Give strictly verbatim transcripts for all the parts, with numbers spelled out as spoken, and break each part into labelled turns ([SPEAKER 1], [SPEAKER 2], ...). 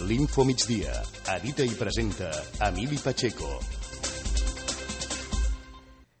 [SPEAKER 1] L'Info Migdia. Edita i presenta Emili Pacheco.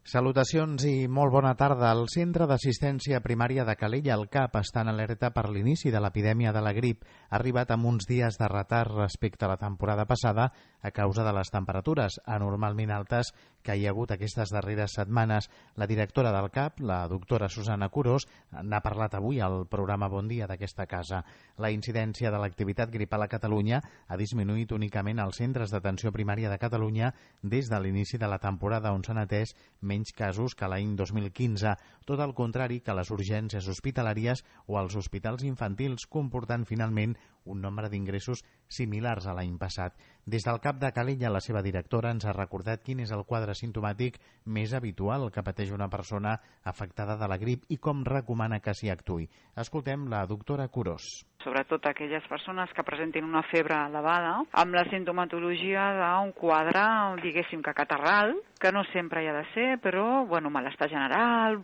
[SPEAKER 2] Salutacions i molt bona tarda. El Centre d'Assistència Primària de Calella, el CAP, està en alerta per l'inici de l'epidèmia de la grip. Ha arribat amb uns dies de retard respecte a la temporada passada a causa de les temperatures anormalment altes que hi ha hagut aquestes darreres setmanes. La directora del CAP, la doctora Susana Curós, n'ha parlat avui al programa Bon Dia d'aquesta casa. La incidència de l'activitat gripal a Catalunya ha disminuït únicament als centres d'atenció primària de Catalunya des de l'inici de la temporada, on s'han atès menys casos que l'any dos mil quinze, tot el contrari que les urgències hospitalàries o els hospitals infantils, comportant finalment un nombre d'ingressos similars a l'any passat. Des del CAP de Calella, la seva directora ens ha recordat quin és el quadre simptomàtic més habitual que pateix una persona afectada de la grip i com recomana que s'hi actuï. Escoltem la doctora Curós.
[SPEAKER 3] Sobretot aquelles persones que presentin una febre elevada, amb la sintomatologia d'un quadre, diguéssim que catarral, que no sempre hi ha de ser, però bueno, malestar general,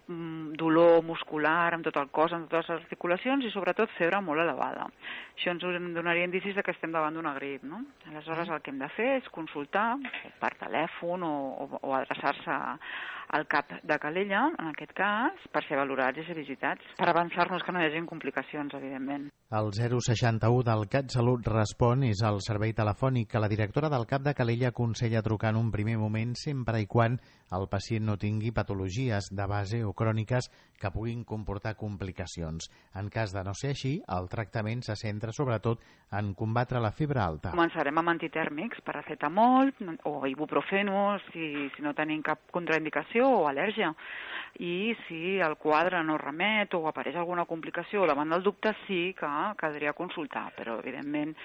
[SPEAKER 3] dolor muscular amb tot el cos, amb totes les articulacions i sobretot febre molt elevada. Això ens donaria indicis de que estem davant d'una grip, no? Aleshores el que hem de fer és consultar per telèfon o, o, o adreçar-se al CAP de Calella, en aquest cas, per ser valorats i ser visitats, per avançar-nos que no hi hagi complicacions, evidentment.
[SPEAKER 2] El zero seixanta u del CatSalut Respon és el servei telefònic que la directora del CAP de Calella aconsella trucar en un primer moment sempre i quan el pacient no tingui patologies de base o cròniques que puguin comportar complicacions. En cas de no ser així, el tractament se centra sobretot en combatre la febre alta.
[SPEAKER 3] Començarem amb antitèrmics, paracetamol o ibuprofeno, si, si no tenim cap contraindicació o al·lèrgia. I si el quadre no remet o apareix alguna complicació davant del dubte, sí que caldria consultar, però evidentment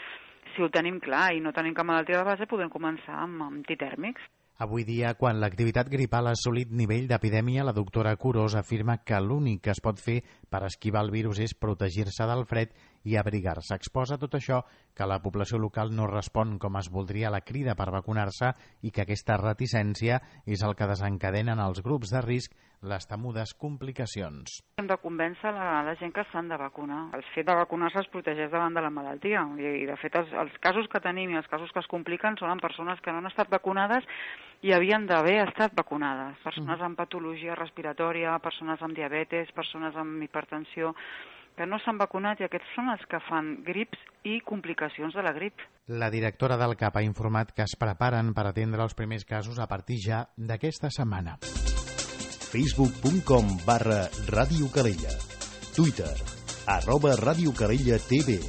[SPEAKER 3] si ho tenim clar i no tenim cap malaltia de base podem començar amb antitèrmics.
[SPEAKER 2] Avui dia, quan l'activitat gripal ha assolit nivell d'epidèmia, la doctora Curós afirma que l'únic que es pot fer per esquivar el virus és protegir-se del fred i abrigar-se. Exposa tot això que la població local no respon com es voldria a la crida per vacunar-se i que aquesta reticència és el que desencadena en els grups de risc les temudes complicacions.
[SPEAKER 3] Hem de convèncer la, la gent que s'han de vacunar. El fet de vacunar-se els protegeix davant de la malaltia i, i de fet, els, els casos que tenim i els casos que es compliquen són en persones que no han estat vacunades i havien d'haver estat vacunades. Persones amb patologia respiratòria, persones amb diabetes, persones amb hipertensió, que no s'han vacunat i aquests són els que fan grips i complicacions de la grip.
[SPEAKER 2] La directora del CAP ha informat que es preparen per atendre els primers casos a partir ja d'aquesta setmana.
[SPEAKER 1] facebook punt com barra Ràdio Calella. Twitter, arroba Ràdio Calella T V.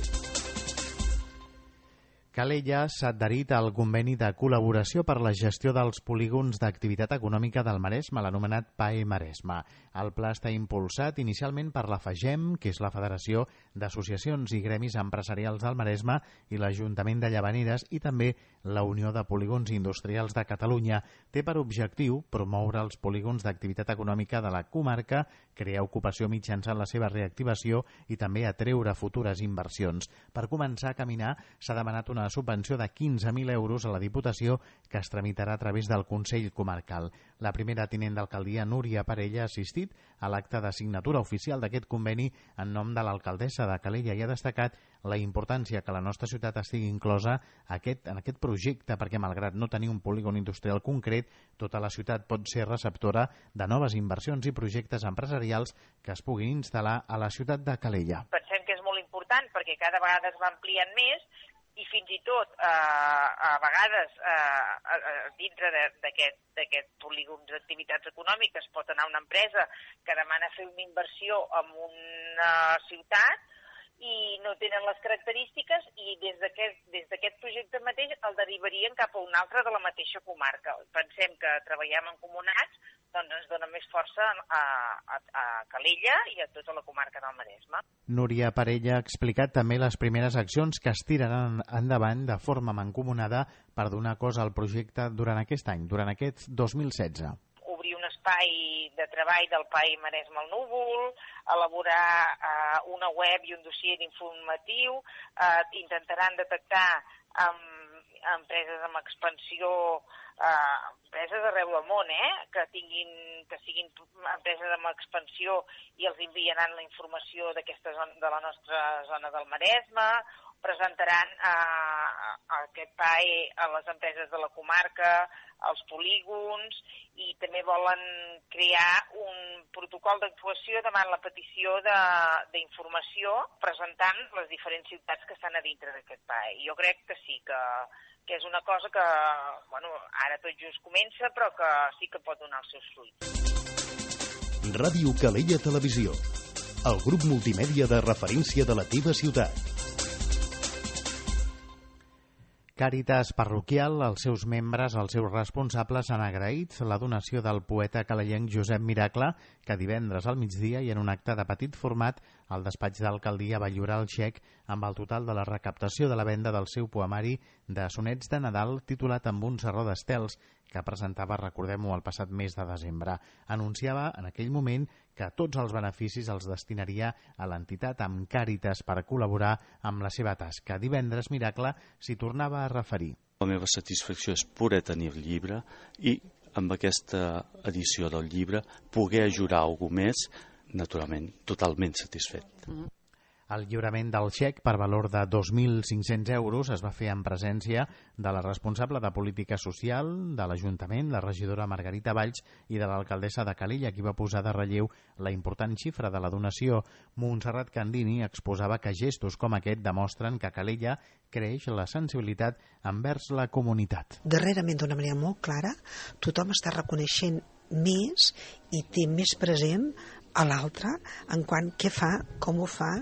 [SPEAKER 2] Calella s'ha adherit al conveni de col·laboració per la gestió dels polígons d'activitat econòmica del Maresme, l'anomenat P A E Maresme. El pla està impulsat inicialment per la FAGEM, que és la Federació d'Associacions i Gremis Empresarials del Maresme, i l'Ajuntament de Llavaneres, i també la Unió de Polígons Industrials de Catalunya. Té per objectiu promoure els polígons d'activitat econòmica de la comarca, crear ocupació mitjançant la seva reactivació i també atreure futures inversions. Per començar a caminar s'ha demanat una subvenció de quinze mil euros a la Diputació que es tramitarà a través del Consell Comarcal. La primera tinent d'alcaldia, Núria Parella, ha assistit a l'acte de signatura oficial d'aquest conveni en nom de l'alcaldessa de Calella i ha destacat la importància que la nostra ciutat estigui inclosa aquest, en aquest projecte, perquè malgrat no tenir un polígon industrial concret, tota la ciutat pot ser receptora de noves inversions i projectes empresarials que es puguin instal·lar a la ciutat de Calella.
[SPEAKER 4] Pensem que és molt important perquè cada vegada es va ampliant més i fins i tot eh, a vegades eh, dintre d'aquest polígon d'activitats econòmiques pot anar una empresa que demana fer una inversió en una ciutat i no tenen les característiques i des d'aquest des d'aquest projecte mateix el derivarien cap a un altre de la mateixa comarca. Pensem que treballem en comunats, doncs ens dona més força a, a, a Calella i a tota la comarca del Maresme.
[SPEAKER 2] Núria Parella ha explicat també les primeres accions que es tiraran endavant de forma mancomunada per donar cos al projecte durant aquest any, durant aquest dos mil setze.
[SPEAKER 4] Obrir un espai de treball del P A E Maresme al Núvol, elaborar eh, una web i un dossier informatiu, eh, intentaran detectar um, empreses amb expansió, eh, empreses arreu del món, eh, que tinguin, que siguin empreses amb expansió i els enviaran la informació d'aquesta zona, de la nostra zona del Maresme, presentaran eh, aquest P A E a les empreses de la comarca, als polígons, i també volen crear un protocol d'actuació davant la petició d'informació presentant les diferents ciutats que estan a dintre d'aquest P A E. Jo crec que sí, que, que és una cosa que, bueno, ara tot just comença, però que sí que pot donar els seus fruits.
[SPEAKER 1] Ràdio Calella Televisió, el grup multimèdia de referència de la teva ciutat.
[SPEAKER 2] Càritas Parroquial, els seus membres, els seus responsables han agraït la donació del poeta calellenc Josep Miracle, que divendres al migdia i en un acte de petit format al despatx d'alcaldia va lliurar el xec amb el total de la recaptació de la venda del seu poemari de sonets de Nadal titulat Amb un serró d'estels, que presentava, recordem-ho, el passat mes de desembre. Anunciava en aquell moment que tots els beneficis els destinaria a l'entitat amb Càritas per col·laborar amb la seva tasca. Divendres Miracle s'hi tornava a referir.
[SPEAKER 5] La meva satisfacció és poder tenir el llibre i amb aquesta edició del llibre poder ajudar algú més, naturalment, totalment satisfet.
[SPEAKER 2] Mm. El lliurament del xec per valor de dos mil cinc-cents euros es va fer en presència de la responsable de Política Social de l'Ajuntament, la regidora Margarita Valls, i de l'alcaldessa de Calella, qui va posar de relleu la important xifra de la donació. Montserrat Candini exposava que gestos com aquest demostren que a Calella creix la sensibilitat envers la comunitat.
[SPEAKER 6] Darrerament, d'una manera molt clara, tothom està reconeixent més i té més present a l'altre en quant què fa, com ho fa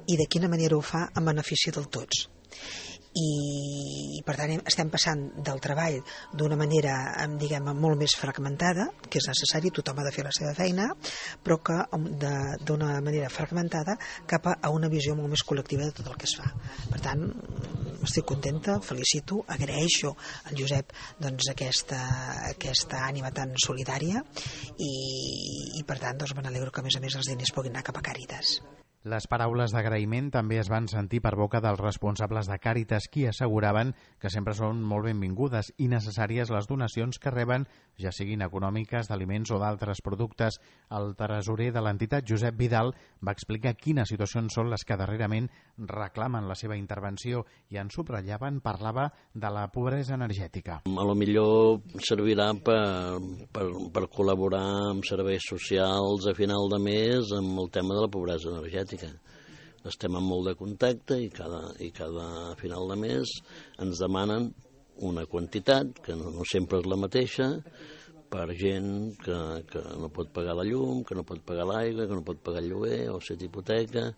[SPEAKER 6] i de quina manera ho fa en benefici del tots. I per tant estem passant del treball d'una manera, diguem, molt més fragmentada, que és necessari, tothom ha de fer la seva feina, però que d'una manera fragmentada cap a una visió molt més col·lectiva de tot el que es fa. Per tant, estic contenta, felicito, agraeixo al Josep doncs, aquesta, aquesta ànima tan solidària i, i per tant doncs, me n'alegro que a més a més els diners puguin anar cap a Càritas.
[SPEAKER 2] Les paraules d'agraïment també es van sentir per boca dels responsables de Càritas, qui asseguraven que sempre són molt benvingudes i necessàries les donacions que reben, ja siguin econòmiques, d'aliments o d'altres productes. El tresorer de l'entitat, Josep Vidal, va explicar quines situacions són les que darrerament reclamen la seva intervenció i en subratllaven, parlava de la pobresa energètica.
[SPEAKER 7] A lo millor servirà per, per, per col·laborar amb serveis socials a final de mes amb el tema de la pobresa energètica. Estem en molt de contacte i cada, i cada final de mes ens demanen una quantitat, que no, no sempre és la mateixa, per gent que, que no pot pagar la llum, que no pot pagar l'aigua, que no pot pagar el lloguer o set hipoteca.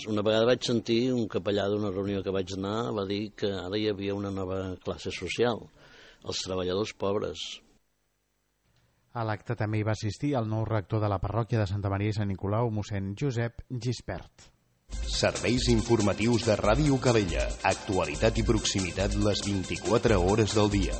[SPEAKER 7] Una vegada vaig sentir un capellà d'una reunió que vaig anar, va dir que ara hi havia una nova classe social, els treballadors pobres.
[SPEAKER 2] A l'acte també hi va assistir el nou rector de la parròquia de Santa Maria i Sant Nicolau, mossèn Josep Gispert.
[SPEAKER 1] Serveis informatius de Ràdio Calella. Actualitat i proximitat les vint-i-quatre hores del dia.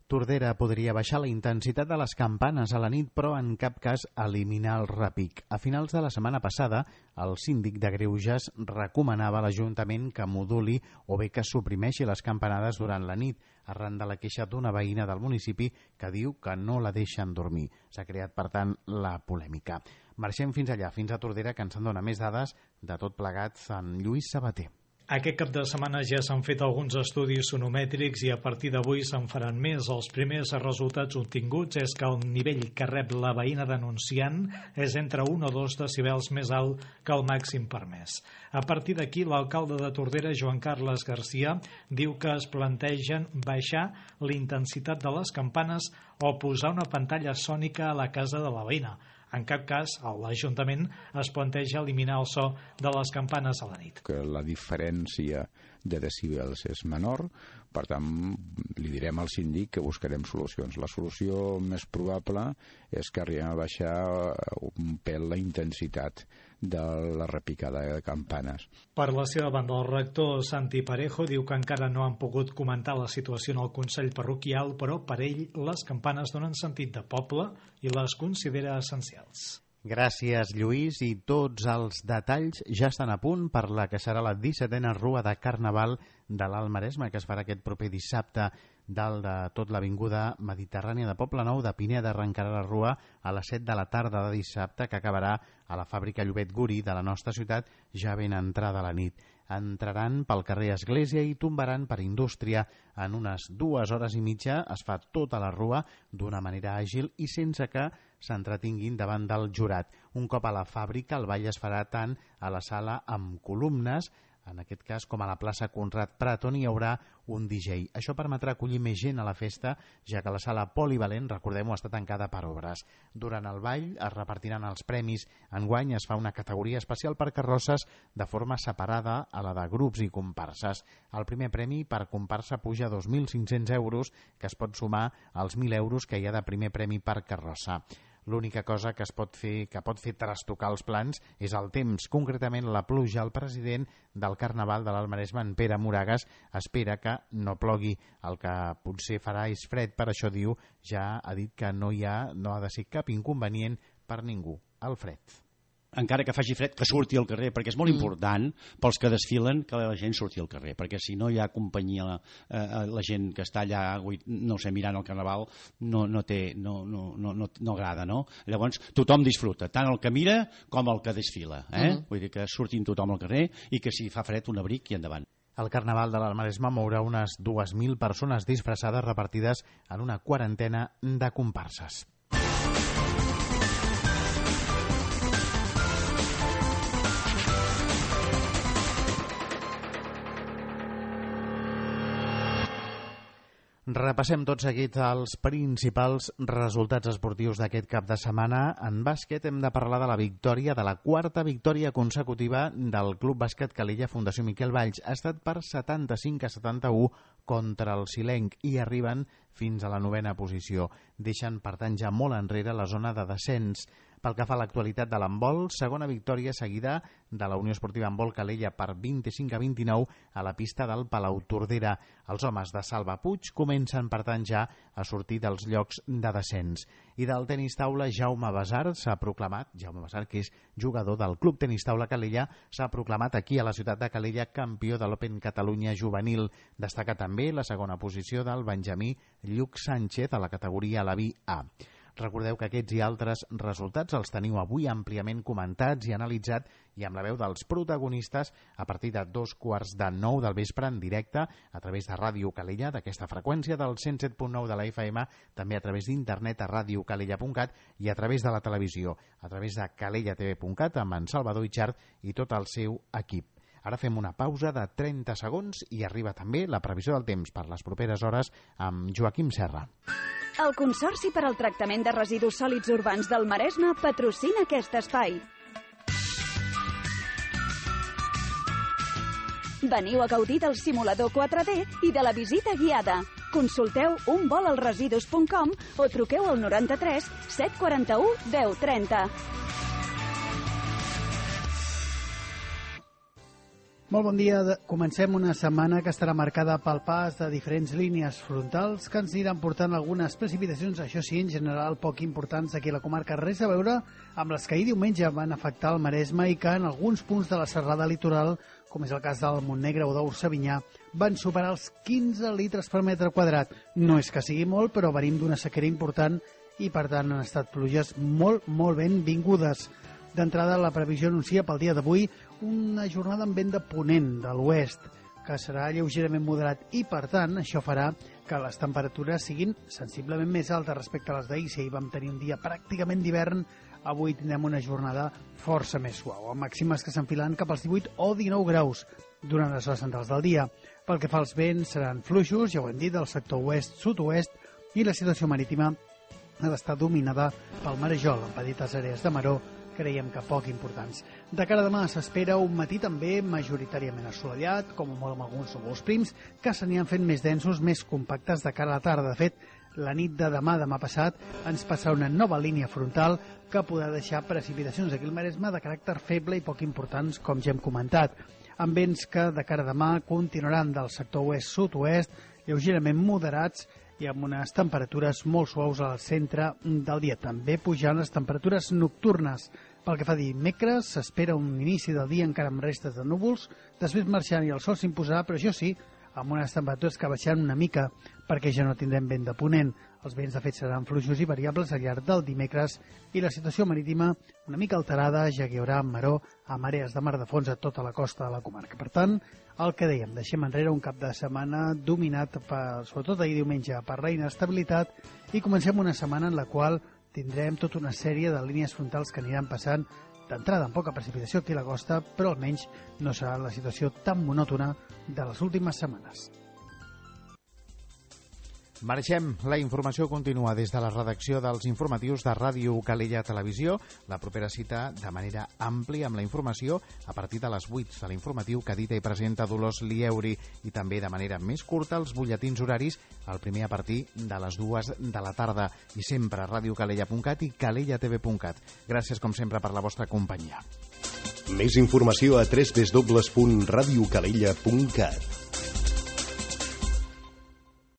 [SPEAKER 2] Tordera podria baixar la intensitat de les campanes a la nit, però en cap cas eliminar el repic. A finals de la setmana passada, el síndic de Greuges recomanava a l'Ajuntament que moduli o bé que suprimeixi les campanades durant la nit, arran de la queixa d'una veïna del municipi que diu que no la deixen dormir. S'ha creat, per tant, la polèmica. Marxem fins allà, fins a Tordera, que ens en dona més dades de tot plegat en Lluís Sabater.
[SPEAKER 8] Aquest cap de setmana ja s'han fet alguns estudis sonomètrics i a partir d'avui se'n faran més. Els primers resultats obtinguts és que el nivell que rep la veïna denunciant és entre un o dos decibels més alt que el màxim permès. A partir d'aquí, l'alcalde de Tordera, Joan Carles Garcia, diu que es plantegen baixar la intensitat de les campanes o posar una pantalla sònica a la casa de la veïna. En cap cas, l'Ajuntament es planteja eliminar el so de les campanes a la nit.
[SPEAKER 9] Que la diferència de decibels és menor, per tant, li direm al síndic que buscarem solucions. La solució més probable és que arribem a baixar un pèl la intensitat de la repicada de campanes.
[SPEAKER 8] Per la seva banda, el rector Santi Parejo diu que encara no han pogut comentar la situació en el Consell Parroquial, però per ell les campanes donen sentit de poble i les considera essencials.
[SPEAKER 2] Gràcies, Lluís, i tots els detalls ja estan a punt per la que serà la dissetena Rua de Carnaval de l'Alt Maresme, que es farà aquest proper dissabte dalt de tot l'avinguda Mediterrània de Poblenou, de Pineda arrencarà la rua a les set de la tarda de dissabte, que acabarà a la fàbrica Llobet Guri de la nostra ciutat ja ben entrada la nit. Entraran pel carrer Església i tombaran per Indústria. En unes dues hores i mitja es fa tota la rua d'una manera àgil i sense que s'entretinguin davant del jurat. Un cop a la fàbrica, el ball es farà tant a la sala amb columnes, en aquest cas com a la plaça Conrad Prat, on hi haurà un D J. Això permetrà acollir més gent a la festa, ja que la sala polivalent, recordem-ho, està tancada per obres. Durant el ball es repartiran els premis. Enguany es fa una categoria especial per carrosses de forma separada a la de grups i comparses. El primer premi per comparsa puja a dos mil cinc-cents euros, que es pot sumar als mil euros que hi ha de primer premi per carrossa. L'única cosa que es pot fer que pot fer trastocar els plans és el temps, concretament la pluja. El president del Carnaval de l'Alt Maresme, en Pere Moragas, espera que no plogui. El que potser farà és fred, per això diu, ja ha dit que no hi ha, no ha de ser cap inconvenient per ningú, el fred.
[SPEAKER 10] Encara que faci fred, que surti al carrer, perquè és molt important pels que desfilen que la gent surti al carrer, perquè si no hi ha companyia, eh, la gent que està allà, no sé, mirant el Carnaval, no, no té, no, no, no, no, no agrada, no? Llavors tothom disfruta, tant el que mira com el que desfila, eh? Uh-huh. Vull dir que surtin tothom al carrer i que si fa fred un abric i endavant.
[SPEAKER 2] El Carnaval de l'Alt Maresme mourà unes dues mil persones disfressades repartides en una quarantena de comparses. Repassem tot seguit els principals resultats esportius d'aquest cap de setmana. En bàsquet hem de parlar de la victòria, de la quarta victòria consecutiva del Club Bàsquet Calella Fundació Miquel Valls. Ha estat per setanta-cinc a setanta-u contra el Silenc i arriben fins a la novena posició. Deixen, per tant, ja molt enrere la zona de descens. Pel que fa a l'actualitat de l'handbol, segona victòria seguida de la Unió Esportiva Handbol Calella per vint-i-cinc a vint-i-nou a la pista del Palau Tordera. Els homes de Salva Puig comencen, per tant, ja a sortir dels llocs de descens. I del tenis taula, Jaume Besart s'ha proclamat, Jaume Besart, que és jugador del Club Tenis Taula Calella, s'ha proclamat aquí a la ciutat de Calella campió de l'Open Catalunya Juvenil. Destaca també la segona posició del benjamí Lluc Sánchez a la categoria a la V A. Recordeu que aquests i altres resultats els teniu avui àmpliament comentats i analitzat i amb la veu dels protagonistes a partir de dos quarts de nou del vespre en directe a través de Ràdio Calella, d'aquesta freqüència del cent set punt nou de la F M, també a través d'internet a radiocalella punt cat i a través de la televisió, a través de calella t v punt cat amb en Salvador Itxart i tot el seu equip. Ara fem una pausa de trenta segons i arriba també la previsió del temps per les properes hores amb Joaquim Serra.
[SPEAKER 11] El Consorci per al Tractament de Residus Sòlids Urbans del Maresme patrocina aquest espai. Veniu a gaudir del simulador quatre D i de la visita guiada. Consulteu un vol als residus punt com o truqueu al noranta-tres set quaranta-u deu trenta.
[SPEAKER 12] Molt bon dia. Comencem una setmana que estarà marcada pel pas de diferents línies frontals que ens aniran portant algunes precipitacions, això sí, en general poc importants aquí a la comarca. Res a veure amb les que ahir diumenge van afectar el Maresme i que en alguns punts de la serrada litoral, com és el cas del Montnegre o d'Orsavinyà, van superar els quinze litres per metre quadrat. No és que sigui molt, però venim d'una sequera important i, per tant, han estat pluges molt, molt ben vingudes. D'entrada, la previsió anuncia pel dia d'avui una jornada amb vent de ponent de l'oest, que serà lleugerament moderat i, per tant, això farà que les temperatures siguin sensiblement més altes respecte a les d'ahir. Si ahir vam tenir un dia pràcticament d'hivern, avui tindrem una jornada força més suau, amb màximes que s'enfilen cap als divuit o dinou graus durant les hores centrals del dia. Pel que fa als vents, seran fluixos, ja ho hem dit, del sector oest-sud-oest, i la situació marítima ha d'estar dominada pel marejol, amb petites àrees de maró, creiem que poc importants. De cara a demà s'espera un matí també majoritàriament assolellat, com a molt amb alguns núvols prims, que s'aniran fent més densos, més compactes de cara a la tarda. De fet, la nit de demà, demà passat, ens passarà una nova línia frontal que podrà deixar precipitacions aquí al Maresme de caràcter feble i poc importants, com ja hem comentat, amb vents que de cara a demà continuaran del sector oest-sud-oest, lleugerament moderats, i amb unes temperatures molt suaus al centre del dia. També pujant les temperatures nocturnes. Pel que fa a dimecres, s'espera un inici del dia encara amb restes de núvols, després marxant i el sol s'imposarà, però això sí, amb unes temperatures que baixaran una mica perquè ja no tindrem vent de ponent. Els vents de fet seran fluixos i variables al llarg del dimecres i la situació marítima una mica alterada, ja que hi haurà maró a marees de mar de fons a tota la costa de la comarca. Per tant, el que dèiem, deixem enrere un cap de setmana dominat, per, sobretot ahir diumenge, per la inestabilitat i comencem una setmana en la qual tindrem tota una sèrie de línies frontals que aniran passant d'entrada amb poca precipitació aquí a la costa, però almenys no serà la situació tan monòtona de les últimes setmanes.
[SPEAKER 2] Marxem. La informació continua des de la redacció dels informatius de Ràdio Calella Televisió. La propera cita de manera àmplia amb la informació a partir de les vuit de l'informatiu que edita i presenta Dolors Lieuri i també de manera més curta els butlletins horaris, el primer a partir de les dues de la tarda i sempre a radiocalella punt cat i calella t v punt cat. Gràcies com sempre per la vostra companyia.
[SPEAKER 1] Més informació a w w w punt radiocalella punt cat.